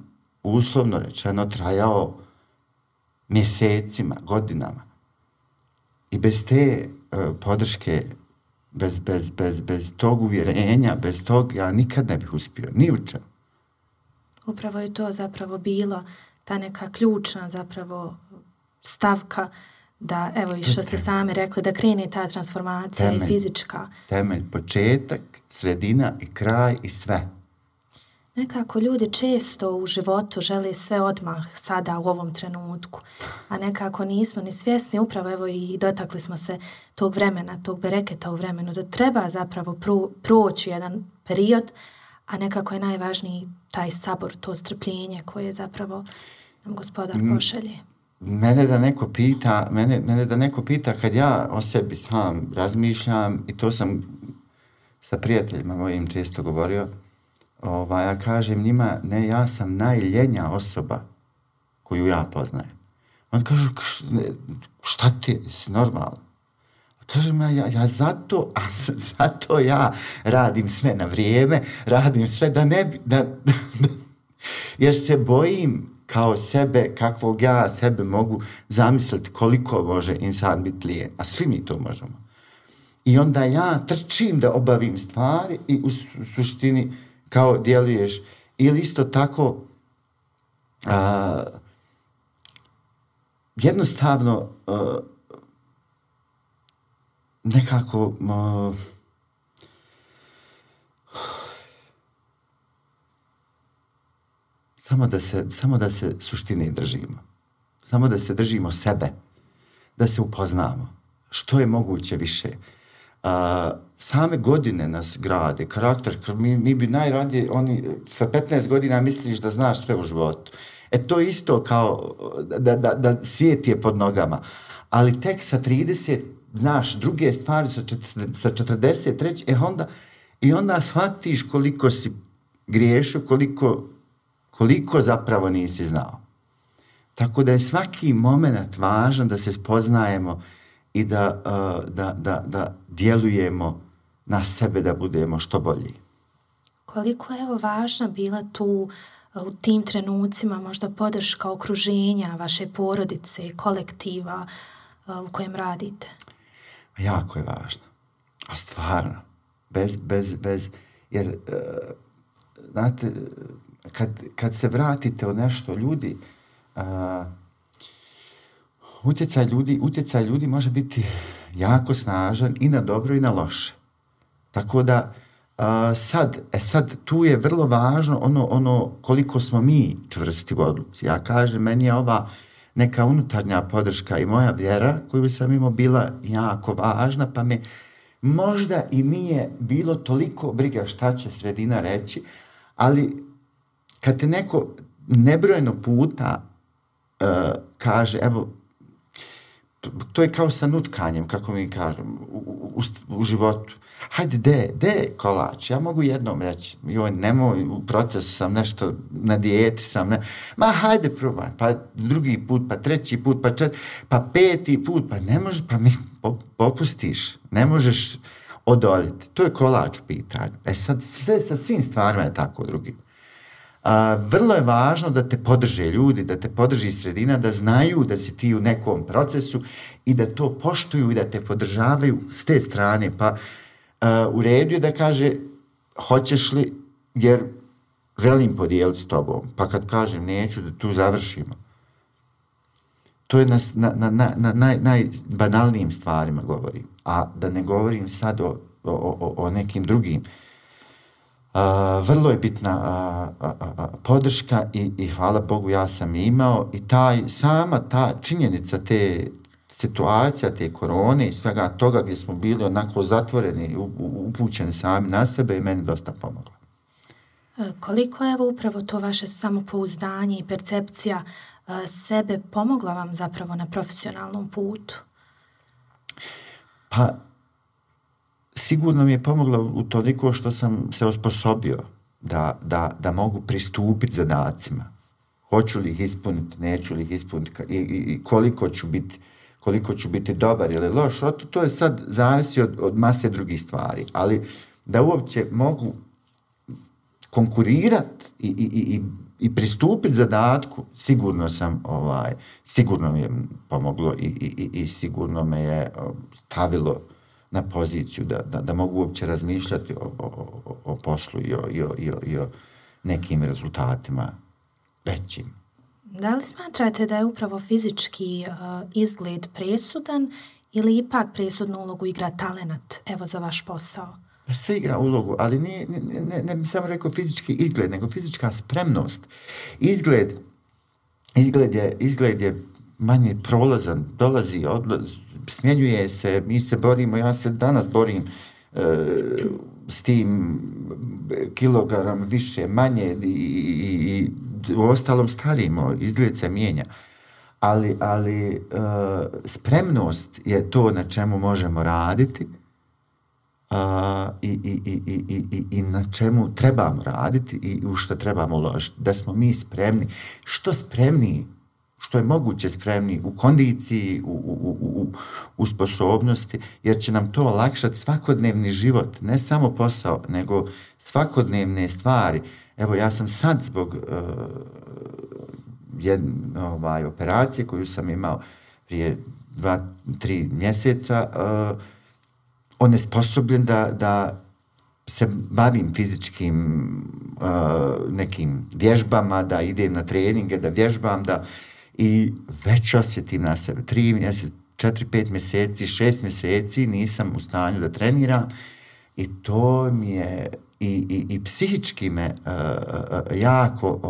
uslovno rečeno, trajao mjesecima, godinama. I bez te podrške, bez tog uvjerenja, bez tog, ja nikad ne bih uspio, ni u čemu. Upravo je to zapravo bilo ta neka ključna zapravo stavka da, evo i što ste sami rekli, da krene ta transformacija i fizička. Temelj, početak, sredina i kraj i sve. Nekako ljudi često u životu žele sve odmah sada u ovom trenutku, a nekako nismo ni svjesni, upravo evo i dotakli smo se tog vremena, tog bereketa u vremenu, da treba zapravo proći jedan period, a nekako je najvažniji taj sabor, to strpljenje koje zapravo nam Gospodar pošalje. Mene da neko pita kad ja o sebi sam razmišljam, i to sam sa prijateljima mojim često govorio, ja kažem njima, ne, ja sam najljenja osoba koju ja poznajem. On kaže, šta ti, si normalno? Kažem, ja zato ja radim sve na vrijeme, radim sve da ne bi, jer se bojim kao sebe, kakvog ja sebe mogu zamisliti koliko može insan biti lijen, a svi mi to možemo. I onda ja trčim da obavim stvari i u suštini kao djeluješ. Ili isto tako jednostavno nekako samo da se suštine držimo. Samo da se držimo sebe, da se upoznamo. Što je moguće više. Same godine nas grade, karakter, mi bi najradije, sa 15 godina misliš da znaš sve u životu. To je isto kao da svijet je pod nogama. Ali tek sa 30 znaš druge stvari, sa 43, i onda shvatiš koliko si griješio, koliko zapravo nisi znao. Tako da je svaki moment važan da se spoznajemo i da djelujemo na sebe da budemo što bolji. Koliko je važna bila tu u tim trenucima možda podrška okruženja, vaše porodice, kolektiva u kojem radite? Jako je važno. A stvarno. Bez jer, znate, kad se vratite u nešto, ljudi, utjecaj ljudi može biti jako snažan i na dobro i na loše. Tako da sad tu je vrlo važno ono koliko smo mi čvrsti u odluci. Ja kažem, meni je ova neka unutarnja podrška i moja vjera koju sam imao bila jako važna, pa me možda i nije bilo toliko briga šta će sredina reći, ali kad te neko nebrojeno puta kaže, evo, to je kao sa nutkanjem, kako mi kažem, u životu. Hajde, de kolač, ja mogu jednom reći, joj, nemoj, u procesu sam nešto, na dijeti sam, ma hajde probaj, pa drugi put, pa treći put, pa peti put, pa ne možeš, pa mi popustiš, ne možeš odoljeti. To je kolač u pitanju. Sad sve sa svim stvarima je tako drugim. Vrlo je važno da te podrže ljudi, da te podrži sredina, da znaju da si ti u nekom procesu i da to poštuju i da te podržavaju s te strane. Pa u redu je da kaže, hoćeš li, jer želim podijeliti s tobom. Pa kad kažem neću, da tu završimo. To je na najbanalnijim stvarima govorim. A da ne govorim sad o nekim drugim. Vrlo je bitna podrška i hvala Bogu ja sam imao i sama ta činjenica te situacija, te korone i svega toga gdje smo bili onako zatvoreni, upućeni sami na sebe je meni dosta pomoglo. Koliko je upravo to vaše samopouzdanje i percepcija sebe pomogla vam zapravo na profesionalnom putu? Pa sigurno mi je pomoglo u toliko što sam se osposobio da mogu pristupiti zadacima. Hoću li ih ispuniti, neću li ih ispuniti i koliko ću biti dobar ili loš. To je sad zavisi od mase drugih stvari. Ali da uopće mogu konkurirati i pristupiti zadatku, sigurno mi je pomoglo i sigurno me je stavilo na poziciju da mogu uopće razmišljati o poslu i o nekim rezultatima većim. Da li smatrate da je upravo fizički izgled presudan ili ipak presudnu ulogu igra talenat, evo, za vaš posao? Sve igra ulogu, ali ne bi samo rekao fizički izgled, nego fizička spremnost. Izgled je manje prolazan, dolazi, odlazi, smjenjuje se, mi se borimo, ja se danas borim s tim kilogram više, manje i u ostalom starimo, izgled se mijenja. Ali spremnost je to na čemu možemo raditi i na čemu trebamo raditi i u što trebamo uložiti. Da smo mi spremni, što spremniji, što je moguće spremni u kondiciji, u sposobnosti, jer će nam to olakšati svakodnevni život, ne samo posao, nego svakodnevne stvari. Evo, ja sam sad zbog jedne operacije koju sam imao prije 2-3 mjeseca, onesposobljen da se bavim fizičkim nekim vježbama, da idem na treninge, da vježbam, I već osjetim na sebe. 3 mjeseca, 4-5 mjeseci, 6 mjeseci nisam u stanju da treniram i to mi je i psihički me jako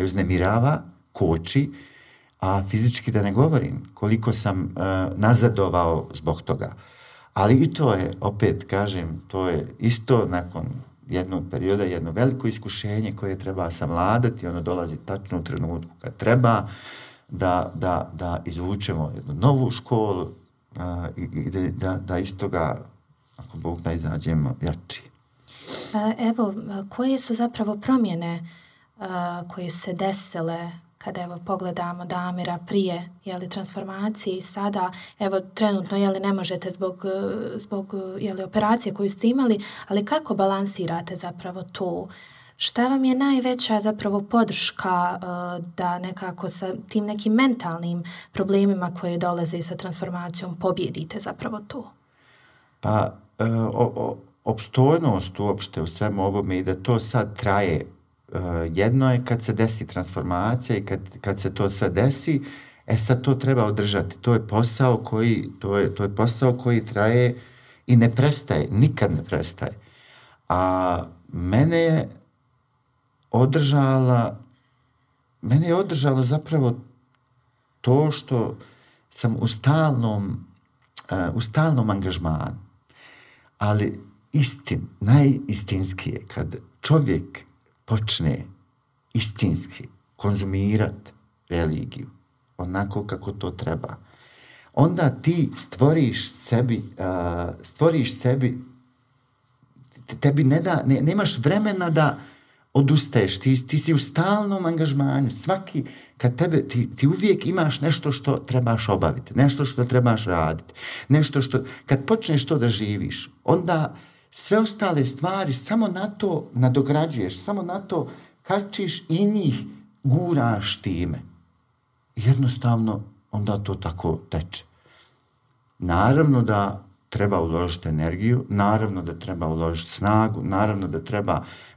uznemirava, koči, a fizički da ne govorim koliko sam nazadovao zbog toga. Ali i to je, opet kažem, to je isto nakon jednog perioda, jedno veliko iskušenje koje treba savladati, ono dolazi tačno u trenutku kad treba da izvučemo jednu novu školu i da iz toga, ako Bog da, izađemo jači. Evo, koje su zapravo promjene koje su se desile kada evo pogledamo Damira prije transformacije i sada, evo trenutno ne možete zbog operacije koju ste imali, ali kako balansirate zapravo to? Šta vam je najveća zapravo podrška da nekako sa tim nekim mentalnim problemima koje dolaze sa transformacijom pobjedite zapravo to? Pa opstojnost uopšte u svemu ovome i da to sad traje. Jedno je kad se desi transformacija i kad se to sve desi, sad to treba održati. To je posao koji traje i ne prestaje, nikad ne prestaje. A mene je održalo zapravo to što sam u stalnom angažmanu. Ali najistinskije, kad čovjek počne istinski konzumirati religiju, onako kako to treba, onda ti stvoriš sebi, tebi nemaš vremena da odustaješ, ti si u stalnom angažmanju, kad ti uvijek imaš nešto što trebaš obaviti, nešto što trebaš raditi, kad počneš to da živiš, onda sve ostale stvari samo na to nadograđuješ, samo na to kačiš i njih guraš time. Jednostavno, onda to tako teče. Naravno da treba uložiti energiju, naravno da treba uložiti snagu,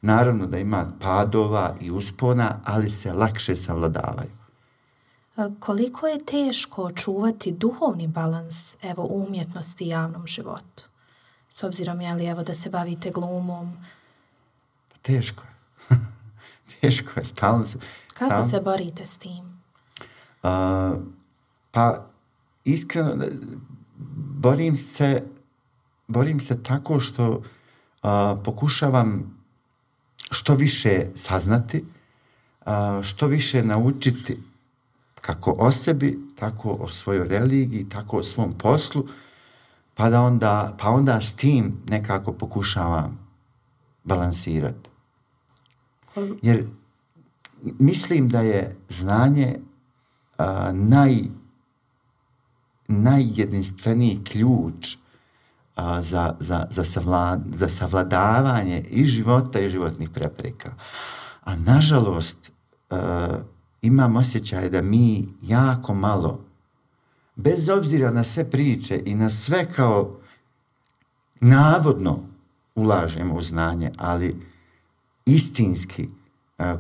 naravno da ima padova i uspona, ali se lakše savladavaju. Koliko je teško čuvati duhovni balans u umjetnosti i javnom životu? S obzirom, da se bavite glumom? Teško je. Teško je, stalno se... Kako se borite s tim? Pa, iskreno, borim se tako što pokušavam što više saznati, što više naučiti kako o sebi, tako o svojoj religiji, tako o svom poslu, pa onda s tim nekako pokušavam balansirati. Jer mislim da je znanje najjedinstveniji ključ za savladavanje i života i životnih prepreka. A nažalost, imam osjećaj da mi jako malo, bez obzira na sve priče i na sve kao navodno ulažemo u znanje, ali istinski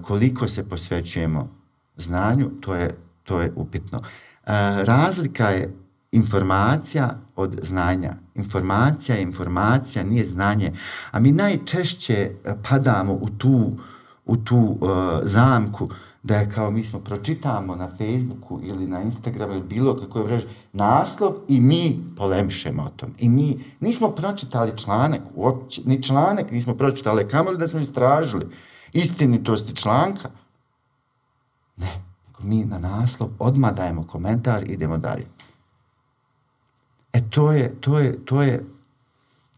koliko se posvećujemo znanju, to je upitno. Razlika je informacija od znanja. Informacija nije znanje. A mi najčešće padamo u tu zamku da je kao mi smo pročitamo na Facebooku ili na Instagramu ili bilo kakvoj mreži naslov i mi polemišemo o tom. I mi nismo pročitali članak, uopće, ni članak nismo pročitali, kamoli da smo istražili istinitosti članka. Ne, mi na naslov odmah dajemo komentar i idemo dalje. To je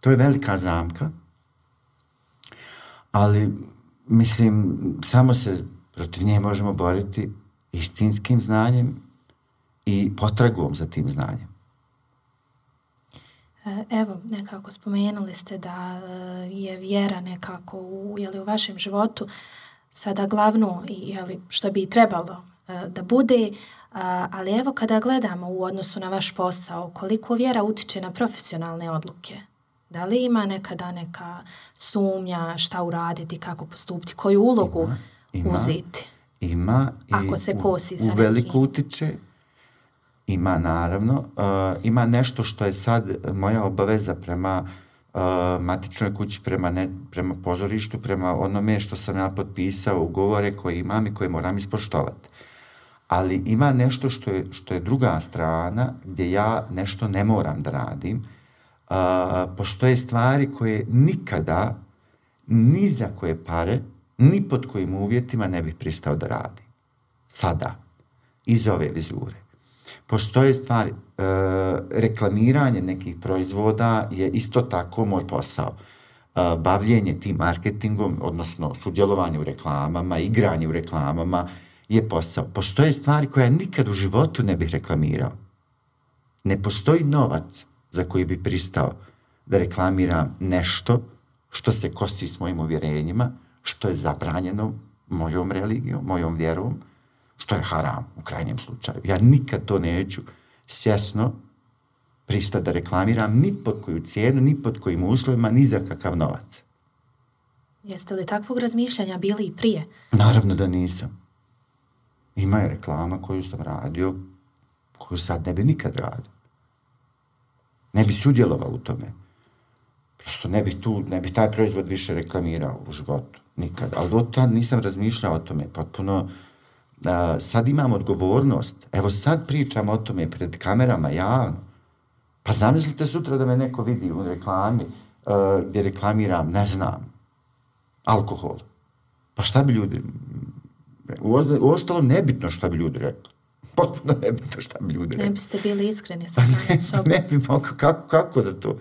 velika zamka, ali mislim, samo se protiv nje možemo boriti istinskim znanjem i potragom za tim znanjem. Evo, nekako spomenuli ste da je vjera nekako u vašem životu sada glavno, što bi trebalo da bude, ali evo kada gledamo u odnosu na vaš posao, koliko vjera utiče na profesionalne odluke? Da li ima nekada neka sumnja šta uraditi, kako postupiti, koju ulogu uzeti? Ima Ako se kosi sa u veliko utiče. Ima, naravno. Ima nešto što je sad moja obaveza prema matičnoj kući, prema pozorištu, prema onome što sam ja potpisao, ugovore koje imam i koje moram ispoštovati. Ali ima nešto što je druga strana, gdje ja nešto ne moram da radim. Postoje stvari koje nikada, ni za koje pare, ni pod kojim uvjetima ne bih pristao da radim. Sada. Iz ove vizure. Postoje stvari, reklamiranje nekih proizvoda je isto tako moj posao. Bavljenje tim marketingom, odnosno sudjelovanje u reklamama, igranje u reklamama je posao. Postoje stvari koje ja nikad u životu ne bih reklamirao. Ne postoji novac za koji bi pristao da reklamiram nešto što se kosi s mojim uvjerenjima, što je zabranjeno mojom religijom, mojom vjerom, što je haram u krajnjem slučaju. Ja nikad to neću svjesno pristati da reklamiram ni pod koju cijenu, ni pod kojim uslovima, ni za kakav novac. Jeste li takvog razmišljanja bili i prije? Naravno da nisam. Ima je reklama koju sam radio, koju sad ne bi nikad radio. Ne bi sudjelovao u tome. Prosto ne bi taj proizvod više reklamirao u životu. Nikad. Ali do tad nisam razmišljao o tome. Potpuno sad imam odgovornost. Evo sad pričam o tome pred kamerama javno. Pa zamislite sutra da me neko vidi u reklami gdje reklamiram, ne znam, alkohol. Pa šta bi ljudi... U ostalom nebitno šta bi ljudi rekli. Potpuno nebitno šta bi ljudi rekli. Ne biste bili iskreni sa samim sobom. Ne bi mogao, kako da to...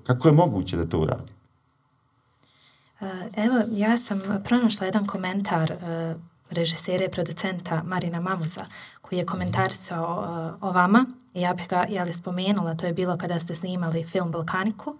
Kako je moguće da to uradi? Evo, ja sam pronašla jedan komentar režisera i producenta Marina Mamuza, koji je komentarisao o vama. Ja bih ga spomenula, to je bilo kada ste snimali film Balkaniku.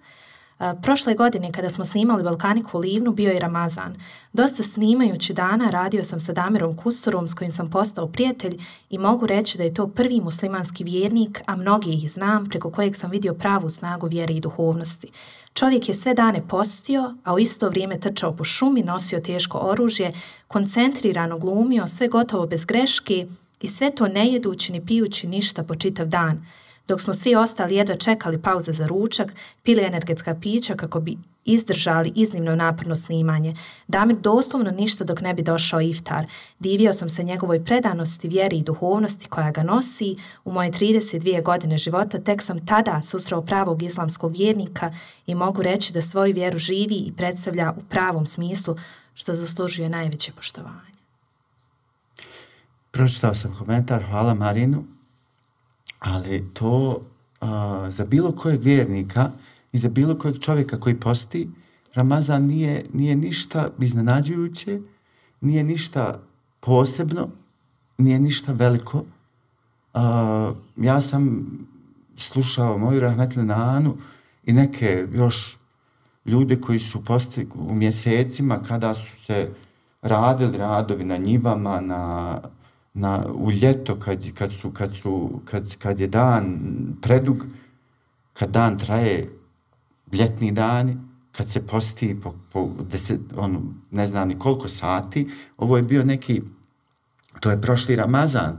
Prošle godine kada smo snimali Balkaniku u Livnu bio je Ramazan. Dosta snimajući dana radio sam sa Damirom Kusturom s kojim sam postao prijatelj i mogu reći da je to prvi muslimanski vjernik, a mnogi ih znam, preko kojeg sam vidio pravu snagu vjere i duhovnosti. Čovjek je sve dane postio, a u isto vrijeme trčao po šumi, nosio teško oružje, koncentrirano glumio, sve gotovo bez greške i sve to ne jedući ni pijući ništa po čitav dan. Dok smo svi ostali jedva čekali pauze za ručak, pili energetska pića kako bi izdržali iznimno naporno snimanje. Damir doslovno ništa dok ne bi došao iftar. Divio sam se njegovoj predanosti, vjeri i duhovnosti koja ga nosi. U moje 32 godine života tek sam tada susreo pravog islamskog vjernika i mogu reći da svoju vjeru živi i predstavlja u pravom smislu, što zaslužuje najveće poštovanje. Pročitao sam komentar, hvala Marinu. Ali to za bilo kojeg vjernika i za bilo kojeg čovjeka koji posti, Ramazan nije ništa iznenađujuće, nije ništa posebno, nije ništa veliko. Ja sam slušao moju rahmetlinu Anu i neke još ljude koji su postili u mjesecima kada su se radili radovi na njivama, u ljeto kad je dan predug, kad dan traje ljetni dani, kad se posti po 10, ne znam ni koliko sati, ovo je bio neki, to je prošli Ramazan,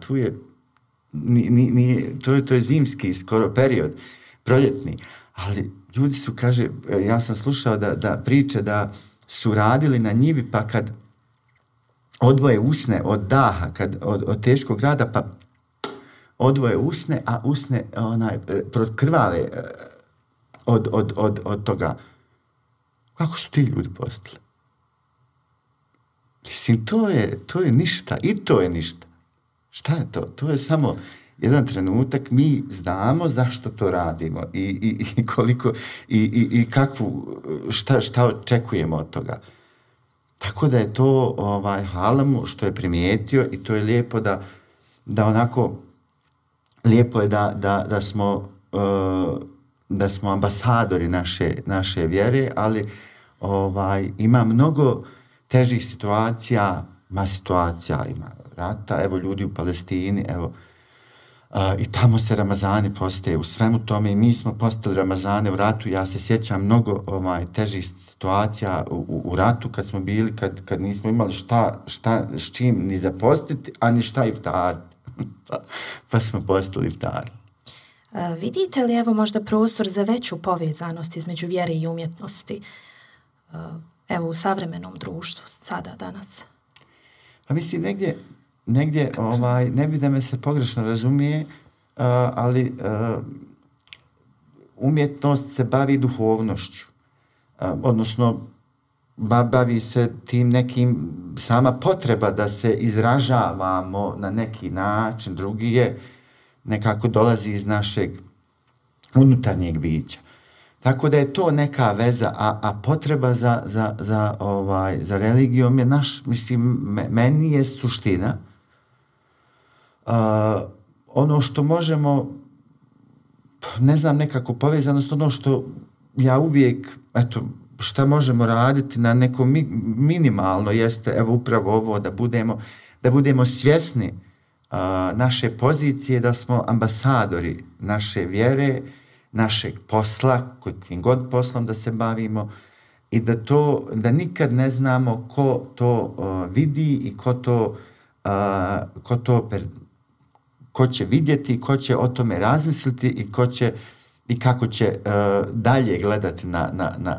to je zimski skoro period, proljetni, ali ljudi su, kaže, ja sam slušao da priče da su radili na njivi, pa kad odvoje usne od daha, od teškog rada, pa odvoje usne, a usne krvave od toga. Kako su ti ljudi postali? Mislim, to je ništa, i to je ništa. Šta je to? To je samo jedan trenutak, mi znamo zašto to radimo i koliko, i kakvu, šta očekujemo od toga. Tako da je to halamu što je primijetio i to je lijepo da onako, lijepo je da smo ambasadori naše vjere, ali ima mnogo težih situacija, ima rata, evo ljudi u Palestini, evo I tamo se Ramazani postaje u svemu tome i mi smo postali Ramazane u ratu. Ja se sjećam mnogo težih situacija u ratu kad smo bili, kad nismo imali šta s čim ni zapostiti, a ni šta iftar. Pa smo postali iftari. Vidite li evo možda prostor za veću povezanost između vjere i umjetnosti? Evo u savremenom društvu sada, danas. Pa mislim, negdje ne bi da me se pogrešno razumije, ali umjetnost se bavi duhovnošću. Odnosno, bavi se tim nekim, sama potreba da se izražavamo na neki način, drugi je nekako dolazi iz našeg unutarnjeg bića. Tako da je to neka veza, a potreba za religijom je meni je suština. Ono što možemo, ne znam, nekako povezanost, ono što ja uvijek, šta možemo raditi na neko minimalno jeste, evo upravo ovo, da budemo svjesni naše pozicije, da smo ambasadori naše vjere, našeg posla, kojim god poslom da se bavimo, i da nikad ne znamo ko to vidi i ko će vidjeti, ko će o tome razmisliti i kako će dalje gledati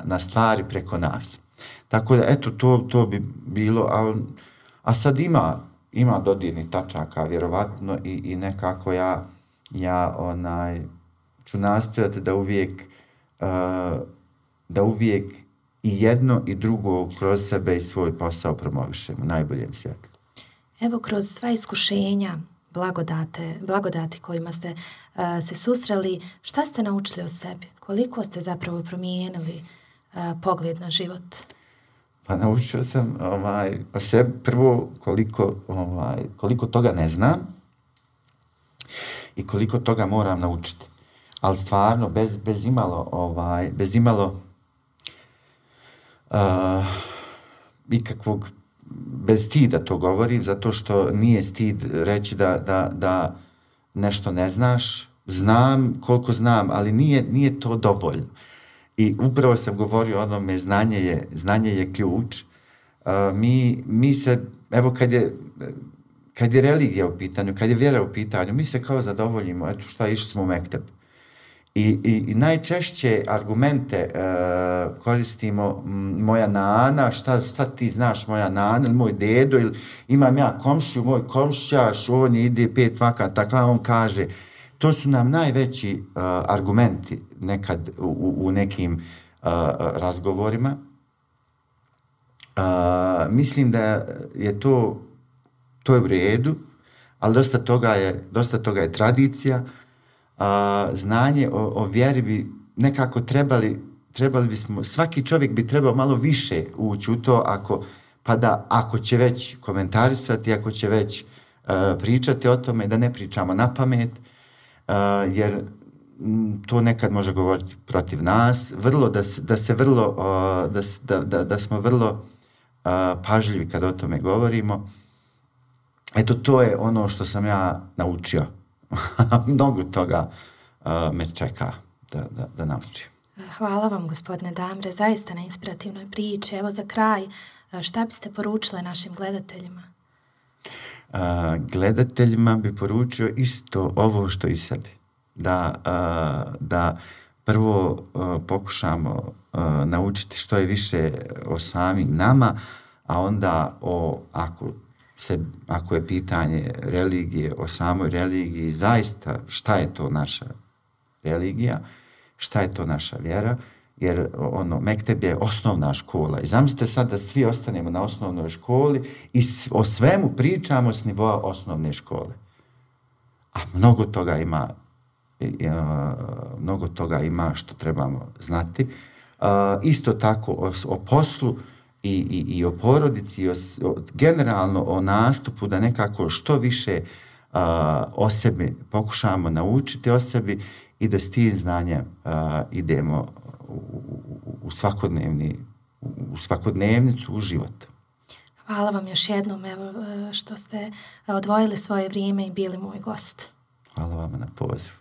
na stvari preko nas. Tako da, to bi bilo, a sad ima dodirnih tačaka, vjerovatno, i nekako ja ću nastojati da uvijek i jedno i drugo kroz sebe i svoj posao promovišemo u najboljem svjetlu. Evo, kroz sva iskušenja, blagodati kojima ste se susreli, šta ste naučili o sebi? Koliko ste zapravo promijenili pogled na život? Pa naučio sam o sebi prvo koliko toga ne znam i koliko toga moram naučiti. Ali stvarno, bez imalo ikakvog, bez stida to govorim, zato što nije stid reći da nešto ne znaš. Znam koliko znam, ali nije to dovoljno. I upravo sam govorio o onome, znanje je ključ. Mi se, evo kad je religija u pitanju, kad je vjera u pitanju, mi se kao zadovoljimo, išli smo u mekteb. I najčešće argumente koristimo moja nana, šta ti znaš moja nana, ili moj dedo, ili imam ja komšiju, moj komšćaš, on ide 5 vakata, tako on kaže. To su nam najveći argumenti nekad u nekim razgovorima. Mislim da je to je u redu, ali dosta toga je tradicija. Znanje o vjeri bi nekako trebali bismo, svaki čovjek bi trebao malo više ući u to, ako će već komentarisati, ako će već pričati o tome, da ne pričamo na pamet, jer to nekad može govoriti protiv nas, da smo vrlo pažljivi kad o tome govorimo. Eto, to je ono što sam ja naučio. Mnogo toga me čeka da naučim. Hvala vam, gospodine Damre, zaista na inspirativnoj priči. Evo za kraj, šta biste poručili našim gledateljima? Gledateljima bi poručio isto ovo što i sebi. Da prvo pokušamo naučiti što je više o samim nama, a onda ako je pitanje religije, o samoj religiji, zaista šta je to naša religija, šta je to naša vjera, jer mekteb je osnovna škola. I zamislite sad da svi ostanemo na osnovnoj školi i o svemu pričamo s nivoa osnovne škole. A mnogo toga ima što trebamo znati. Isto tako o poslu i o porodici, generalno o nastupu, da nekako što više o sebi pokušamo naučiti o sebi i da s tim znanjem idemo u svakodnevnicu, u život. Hvala vam još jednom, evo, što ste odvojili svoje vrijeme i bili moj gost. Hvala vama na pozivu.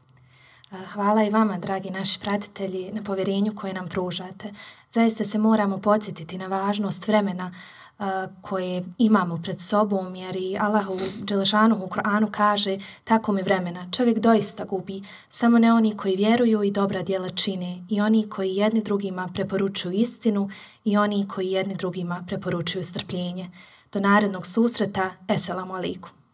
Hvala i vama, dragi naši pratitelji, na povjerenju koje nam pružate. Zaista se moramo podsjetiti na važnost vremena koje imamo pred sobom, jer i Allahu Đelešanuhu u Kur'anu kaže tako mi vremena. Čovjek doista gubi, samo ne oni koji vjeruju i dobra djela čine, i oni koji jedni drugima preporučuju istinu, i oni koji jedni drugima preporučuju strpljenje. Do narednog susreta, eselamu alaikum.